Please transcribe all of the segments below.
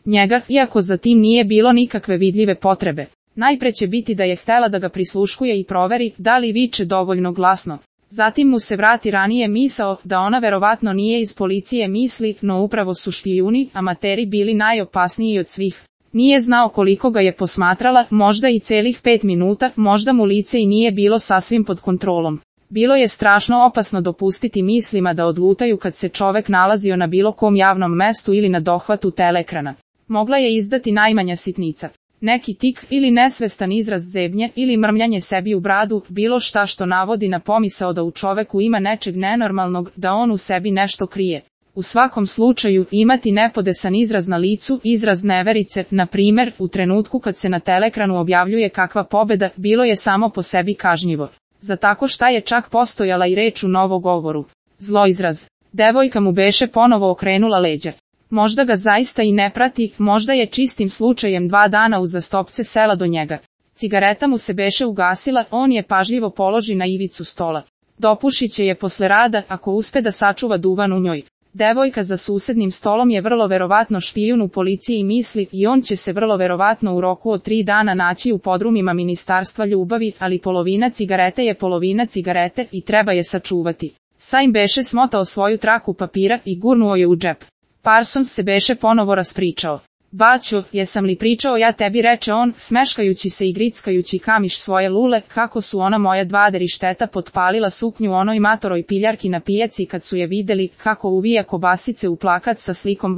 njega, iako za tim nije bilo nikakve vidljive potrebe. Najpre će biti da je htela da ga prisluškuje i proveri da li viče dovoljno glasno. Zatim mu se vrati ranije misao da ona verovatno nije iz policije misli, no upravo su špijuni, amateri bili najopasniji od svih. Nije znao koliko ga je posmatrala, možda i celih 5 minuta, možda mu lice i nije bilo sasvim pod kontrolom. Bilo je strašno opasno dopustiti mislima da odlutaju kad se čovek nalazio na bilo kom javnom mestu ili na dohvatu teleekrana. Mogla je izdati najmanja sitnica. Neki tik ili nesvestan izraz zebnje ili mrmljanje sebi u bradu, bilo šta što navodi na pomisao da u čoveku ima nečeg nenormalnog, da on u sebi nešto krije. U svakom slučaju, imati nepodesan izraz na licu, izraz neverice, na primer, u trenutku kad se na teleekranu objavljuje kakva pobeda, bilo je samo po sebi kažnjivo. Za tako šta je čak postojala i reč u novogovoru. Zloizraz. Devojka mu beše ponovo okrenula leđa. Možda ga zaista i ne prati, možda je čistim slučajem 2 dana uzastopce sela do njega. Cigareta mu se beše ugasila, on je pažljivo položi na ivicu stola. Dopušit će je posle rada, ako uspe da sačuva duvan u njoj. Devojka za susednim stolom je vrlo verovatno špijun u policiji misli i on će se vrlo verovatno u roku od 3 dana naći u podrumima Ministarstva ljubavi, ali polovina cigarete je polovina cigarete i treba je sačuvati. Saim beše smotao svoju traku papira i gurnuo je u džep. Parsons se beše ponovo raspričao. Baćo, jesam li pričao ja tebi, reče on, smeškajući se i grickajući kamiš svoje lule, kako su ona moja 2 derišteta potpalila suknju onoj matoroj piljarki na pijaci kad su je videli, kako uvija kobasice u plakat sa slikom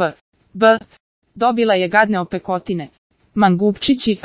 B. Dobila je gadne opekotine. Mangupčići,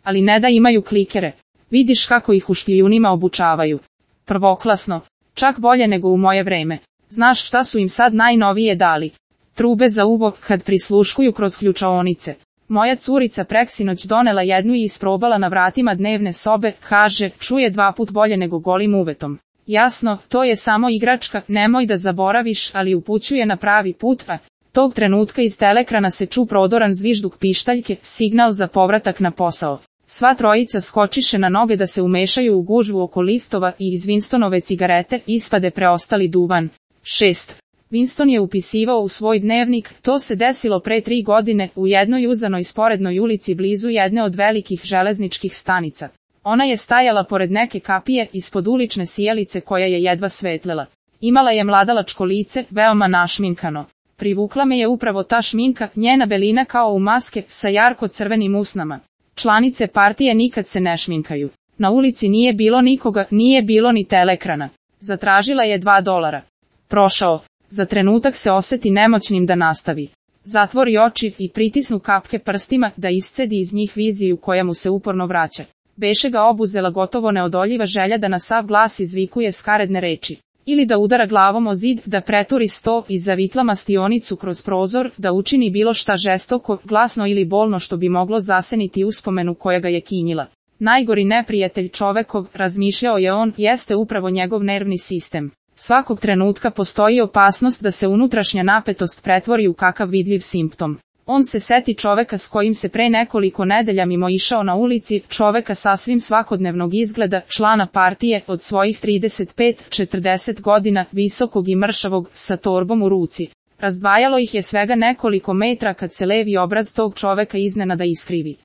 ali ne da imaju klikere. Vidiš kako ih u špijunima obučavaju. Prvoklasno. Čak bolje nego u moje vreme. Znaš šta su im sad najnovije dali? Trube za uvo, kad prisluškuju kroz ključaonice. Moja curica preksinoć donela jednu i isprobala na vratima dnevne sobe, kaže, čuje 2 put bolje nego golim uvetom. Jasno, to je samo igračka, nemoj da zaboraviš, ali upućuje na pravi put, tog trenutka iz teleekrana se ču prodoran zvižduk pištaljke, signal za povratak na posao. Sva trojica skočiše na noge da se umešaju u gužvu oko liftova i iz Winstonove cigarete ispade preostali duvan. 6. Winston je upisivao u svoj dnevnik, to se desilo pre 3 godine, u jednoj uzanoj sporednoj ulici blizu jedne od velikih železničkih stanica. Ona je stajala pored neke kapije, ispod ulične sijalice koja je jedva svetlela. Imala je mladalačko lice, veoma našminkano. Privukla me je upravo ta šminka, njena belina kao u maske, sa jarko crvenim usnama. Članice partije nikad se ne šminkaju. Na ulici nije bilo nikoga, nije bilo ni teleekrana. Zatražila je $2. Prošao. Za trenutak se oseti nemoćnim da nastavi. Zatvori oči i pritisnu kapke prstima da iscedi iz njih viziju koja mu se uporno vraća. Beše ga obuzela gotovo neodoljiva želja da na sav glas izvikuje skaredne reči. Ili da udara glavom o zid, da preturi sto i zavitla mastionicu kroz prozor, da učini bilo šta žestoko, glasno ili bolno što bi moglo zaseniti uspomenu koja ga je kinjila. Najgori neprijatelj čovekov, razmišljao je on, jeste upravo njegov nervni sistem. Svakog trenutka postoji opasnost da se unutrašnja napetost pretvori u kakav vidljiv simptom. On se seti čoveka s kojim se pre nekoliko nedelja mimo išao na ulici, čoveka sasvim svakodnevnog izgleda, člana partije, od svojih 35-40 godina, visokog i mršavog, sa torbom u ruci. Razdvajalo ih je svega nekoliko metra kad se levi obraz tog čoveka iznenada iskrivi.